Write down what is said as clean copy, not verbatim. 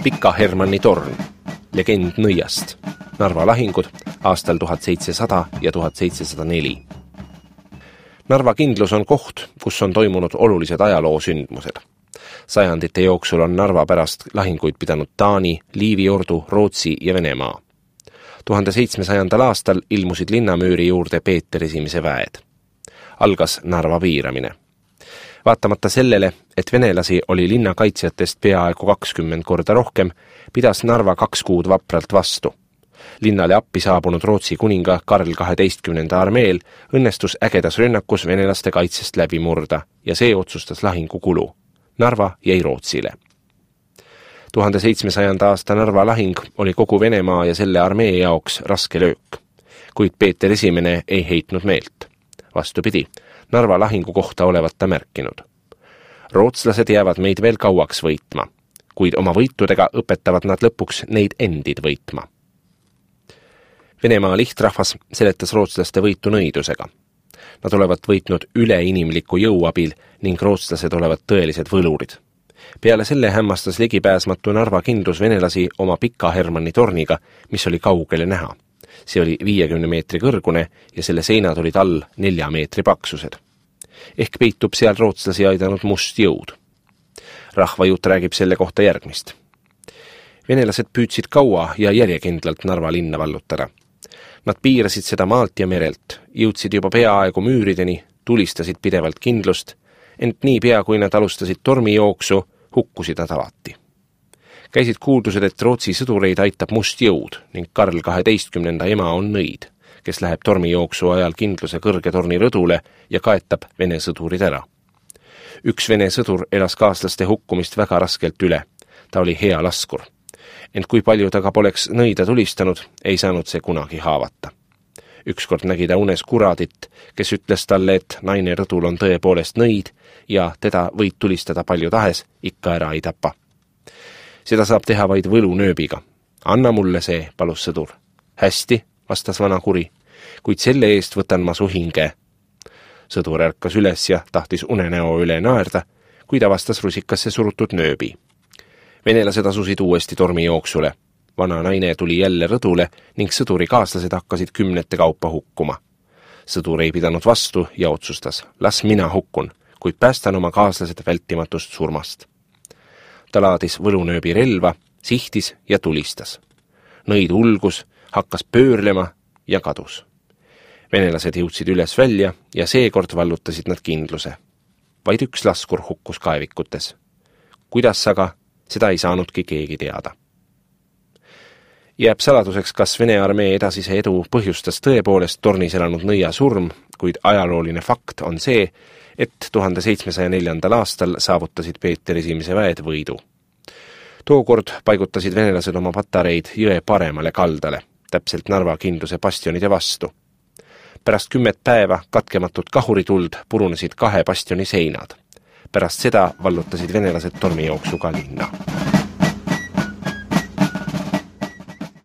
Pika Hermanni torn, legend nõiast, Narva lahingud aastal 1700 ja 1704. Narva kindlus on koht, kus on toimunud olulised ajaloosündmused. Sajandite jooksul on Narva pärast lahinguid pidanud Taani, Liivi ordu, Rootsi ja Venemaa. 1700. aastal ilmusid linnamüüri juurde Peeter I väed. Algas Narva piiramine. Vaatamata sellele, et venelasi oli linnakaitsjatest peaaegu 20 korda rohkem, pidas Narva 2 kuud vapralt vastu. Linnale appi saabunud Rootsi kuninga Karl 12. armeel õnnestus ägedas rünnakus venelaste kaitsest läbi murda ja see otsustas lahingu kulu. Narva jäi Rootsile. 1700. aasta Narva lahing oli kogu Venemaa ja selle armee jaoks raske löök, kuid Peeter I ei heitnud meelt. Vastupidi, Narva lahingu kohta olevat ta märkinud. Rootslased jäävad meid veel kauaks võitma, kuid oma võitudega õpetavad nad lõpuks neid endid võitma. Venemaa lihtrahvas seletas rootslaste võitu nõidusega. Nad olevat võitnud üleinimliku jõu abil ning rootslased olevat tõelised võlurid. Peale selle hämmastas ligipääsmatu Narva kindlus venelasi oma Pika Hermanni torniga, mis oli kaugele näha. See oli 50 meetri kõrgune ja selle seinad olid all 4 meetri paksused. Ehk peitub seal rootslasi aidanud must jõud. Rahvajutt räägib selle kohta järgmist. Venelased püüdsid kaua ja järjekindlalt Narva linna vallutada. Nad piirasid seda maalt ja merelt, jõudsid juba peaaegu müürideni, tulistasid pidevalt kindlust, ent nii pea, kui nad alustasid tormijooksu, hukkusid nad alati. Käisid kuuldused, et Rootsi sõdureid aitab must jõud ning Karl 12. ema on nõid, kes läheb tormijooksu ajal kindluse kõrge torni rõdule ja kaetab vene sõdurid ära. Üks vene sõdur elas kaaslaste hukkumist väga raskelt üle. Ta oli hea laskur. Ent kui palju ta ka poleks nõida tulistanud, ei saanud see kunagi haavata. Ükskord nägi ta unes kuradit, kes ütles talle, et naine rõdul on tõepoolest nõid ja teda võid tulistada palju tahes, ikka ära ei tapa. Seda saab teha vaid võlunööbiga. Anna mulle see, palus sõdur. Hästi, vastas vana kuri, kuid selle eest võtan ma su hinge. Sõdur ärkas üles ja tahtis unenäo üle naerda, kui ta vastas rusikasse surutud nööbi. Venelased asusid uuesti tormijooksule. Vana naine tuli jälle rõdule ning sõduri kaaslased hakkasid 10 kaupa hukkuma. Sõdur ei pidanud vastu ja otsustas, las mina hukkun, kuid päästan oma kaaslased vältimatust surmast. Ta laadis võlunööbi relva, sihtis ja tulistas. Nõid ulgus, hakkas pöörlema ja kadus. Venelased jõudsid üles välja ja seekord vallutasid nad kindluse. Vaid üks laskur hukkus kaevikutes. Kuidas aga, seda ei saanudki keegi teada. Jääb saladuseks, kas Vene armee edasise edu põhjustas tõepoolest tornis elanud nõia surm, kuid ajalooline fakt on see, et 1704. aastal saavutasid Peeter I väed võidu. Tookord paigutasid venelased oma patareid jõe paremale kaldale, täpselt Narva kindluse bastionide vastu. Pärast 10 päeva katkematut kahurituld purunesid 2 bastioni seinad. Pärast seda vallutasid venelased tormijooksuga linna.